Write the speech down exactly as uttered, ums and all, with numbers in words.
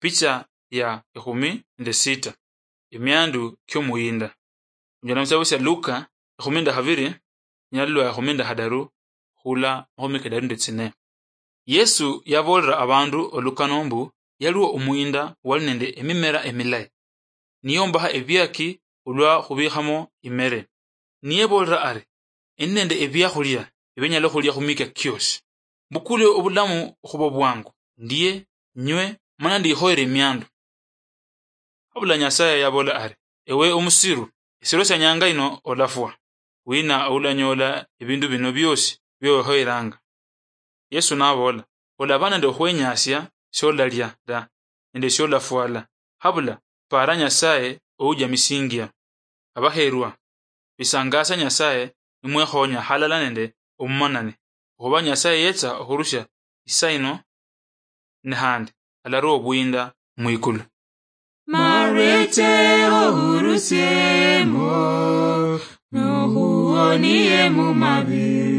Picha ya ekhumi nende sita. Emiandu kiomuyinda. Onyola musitabo sia Luka ekhumi nende khabiri, nyalulwa ekhumi nende khadaru, khula makhumi kadaru nende tsine. Yesu yaboolera abandu olukano mbu yaliwo omuyinda wali nende emimera emilayi, niyombakha ebiaki olwa khubikhamo imere. Niyebolera ari, "Endi nende ebiakhulia ebinyala okhulia khumika kiosi. Mbukule obulamu khubo bwangu, ndie, nywe, mana ndikhoyere emiandu." Habula Nyasaye yabola ari, "Ewe omusiru, esiro sia nyanga ino olafwa. Wina oulanyola ebindu bino biosi biowekhoyeranga?" Yesu nabola, "Olaba nende okhwenyasia siolalia da, nende siolafwala. Habula, para Nyasaye oujamisingia." Abakherwa, bisangasia Nyasaye nimwekhonya halala nende omumanani, okhuba Nyasaye yetsa okhurusia isa ino, ne khandi alarua obuyinda mwikulu. Mareche ohurusiemo, nohuonie mumabi.